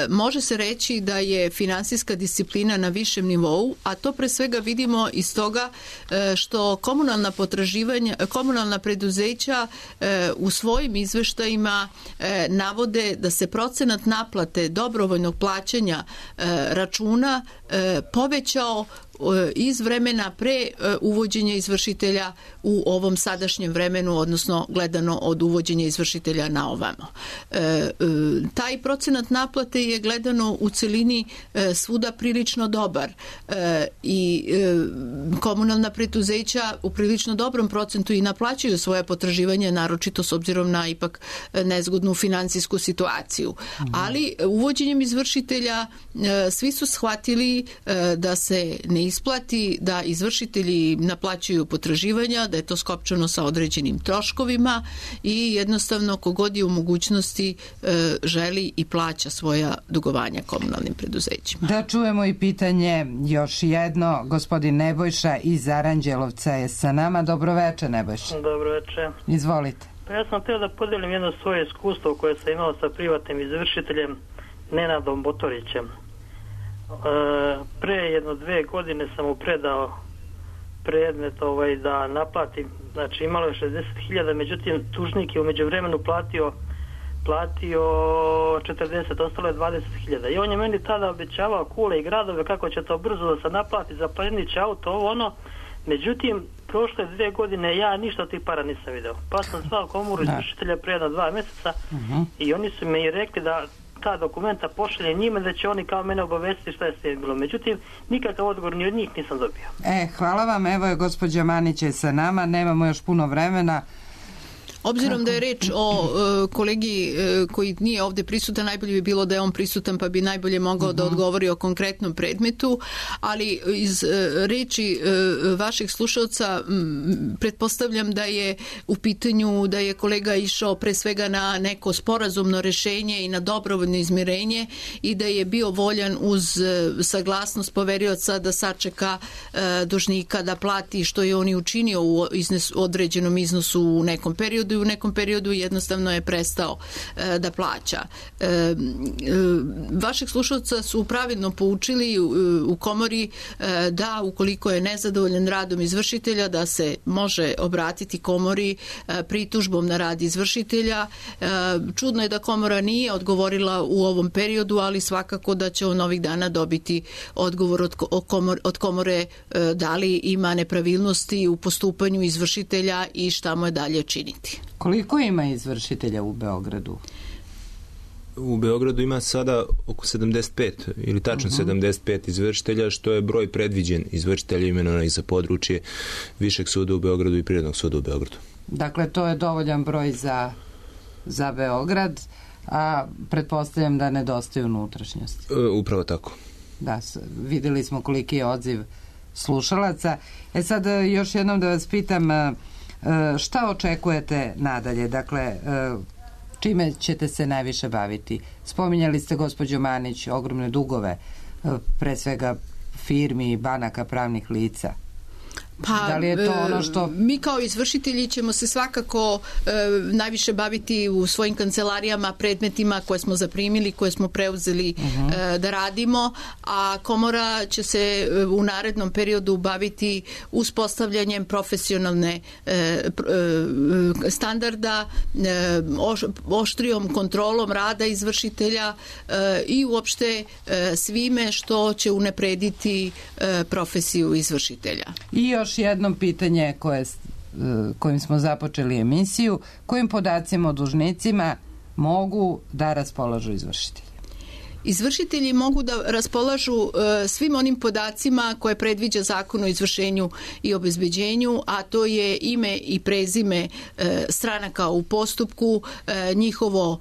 može se reći da je finansijska disciplina na višem nivou, a to pre svega vidimo iz toga što komunalna potraživanja, komunalna preduzeća u svojim izveštajima navode da se procenat naplate dobrovoljnog plaćanja računa povećao iz vremena pre uvođenja izvršitelja u ovom sadašnjem vremenu, odnosno gledano od uvođenja izvršitelja na ovamo. Taj procenat naplate je gledano u celini svuda prilično dobar i komunalna preduzeća u prilično dobrom procentu i naplaćuju svoje potraživanje, naročito s obzirom na ipak nezgodnu finansijsku situaciju. Ali uvođenjem izvršitelja svi su shvatili da se ne isplati da izvršitelji naplaćuju potraživanja, da je to skopčano sa određenim troškovima i jednostavno kogod je u mogućnosti e, želi i plaća svoja dugovanja komunalnim preduzećima. Da čujemo i pitanje još jedno. Gospodin Nebojša iz Aranđelovca je sa nama. Dobroveče, Nebojša. Dobroveče. Izvolite. Pa ja sam htio da podelim jedno svoje iskustvo koje sam imao sa privatnim izvršiteljem Nenadom Botorićem. Pre jedno dve godine sam mu predao predmet ovaj, da naplatim, znači imalo je šezdeset hiljada, međutim tužnik je umeđu vremenu platio platio četrdeset, ostalo je dvadeset hiljada i on je meni tada obećavao kule i gradove kako će to brzo da se naplati za plenić auto, ovo ono, međutim prošle dve godine ja ništa od tih para nisam video, pa sam zvao komoru izvršitelja pre jedno dva mjeseca uh-huh. i oni su mi rekli da ta dokumenta pošalje njima, da će oni kao mene obavestiti šta je s tim bilo. Međutim, nikakav odgovor ni od njih nisam dobio. E, hvala vam, evo je gospođa Manić je sa nama, nemamo još puno vremena. Obzirom Kako? da je reč o uh, kolegi uh, koji nije ovdje prisutan, najbolje bi bilo da je on prisutan pa bi najbolje mogao uh-huh. da odgovori o konkretnom predmetu, ali iz uh, reči uh, vašeg slušalca m, pretpostavljam da je u pitanju da je kolega išao pre svega na neko sporazumno rešenje i na dobrovoljno izmirenje i da je bio voljan uz uh, saglasnost poverioca da sačeka uh, dužnika da plati što je on i učinio u iznes, određenom iznosu u nekom periodu i u nekom periodu jednostavno je prestao e, da plaća. E, e, vašeg slušalca su pravilno poučili u, u komori e, da ukoliko je nezadovoljan radom izvršitelja da se može obratiti komori e, pritužbom na rad izvršitelja. E, čudno je da komora nije odgovorila u ovom periodu, ali svakako da će on ovih dana dobiti odgovor od, komor, od komore e, da li ima nepravilnosti u postupanju izvršitelja i šta mu je dalje činiti. Koliko ima izvršitelja u Beogradu? U Beogradu ima sada oko sedamdeset pet ili tačno uh-huh. sedamdeset pet izvršitelja, što je broj predviđen izvršitelja imenovanih za područje Višeg suda u Beogradu i Privrednog suda u Beogradu. Dakle, to je dovoljan broj za, za Beograd, a pretpostavljam da nedostaje unutrašnjosti. E, upravo tako. Da, videli smo koliki je odziv slušalaca. E sad, još jednom da vas pitam, šta očekujete nadalje? Dakle, čime ćete se najviše baviti? Spominjali ste, gospođo Manić, ogromne dugove, pre svega firmi, banaka, pravnih lica. Pa, da li je to ono što... mi kao izvršitelji ćemo se svakako e, najviše baviti u svojim kancelarijama predmetima koje smo zaprimili, koje smo preuzeli uh-huh. e, da radimo, a komora će se e, u narednom periodu baviti uspostavljanjem profesionalne e, e, standarda, e, oš, oštrijom kontrolom rada izvršitelja e, i uopšte e, svime što će unaprediti e, profesiju izvršitelja. I još jedno pitanje koje, kojim smo započeli emisiju. Kojim podacima o dužnicima mogu da raspolažu izvršitelji? Izvršitelji mogu da raspolažu uh, svim onim podacima koje predviđa Zakon o izvršenju i obezbeđenju, a to je ime i prezime uh, stranaka u postupku, uh, njihovo uh,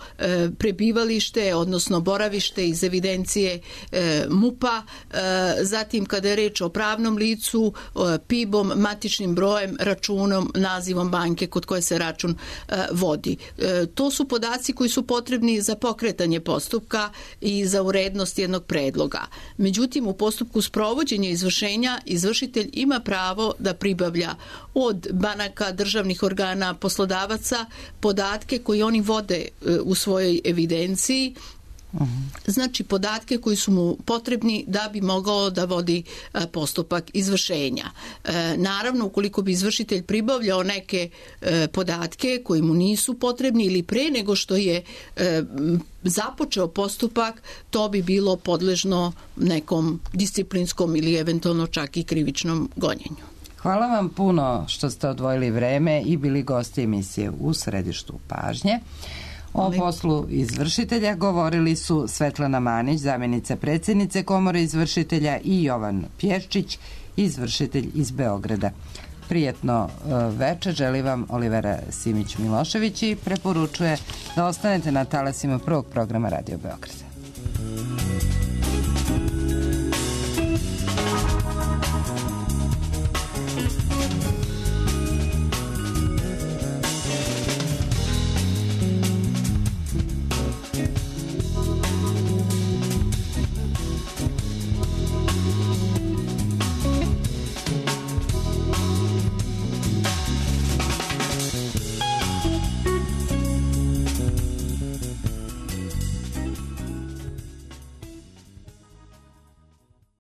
prebivalište, odnosno boravište iz evidencije uh, MUP-a, uh, zatim kada je reč o pravnom licu, uh, P I B-om, matičnim brojem, računom, nazivom banke kod koje se račun uh, vodi. Uh, to su podaci koji su potrebni za pokretanje postupka i za urednost jednog predloga. Međutim, u postupku sprovođenja izvršenja izvršitelj ima pravo da pribavlja od banaka, državnih organa, poslodavaca podatke koje oni vode u svojoj evidenciji, znači podatke koji su mu potrebni da bi mogao da vodi postupak izvršenja. Naravno, ukoliko bi izvršitelj pribavljao neke podatke koji mu nisu potrebni ili pre nego što je započeo postupak, to bi bilo podležno nekom disciplinskom ili eventualno čak i krivičnom gonjenju. Hvala vam puno što ste odvojili vreme i bili gosti emisije U središtu pažnje. O poslu izvršitelja govorili su Svetlana Manić, zamjenica predsjednice Komore izvršitelja, i Jovan Pješčić, izvršitelj iz Beograda. Prijetno večer želi vam Olivera Simić Milošević i preporučuje da ostanete na talasima prvog programa Radio Beograda.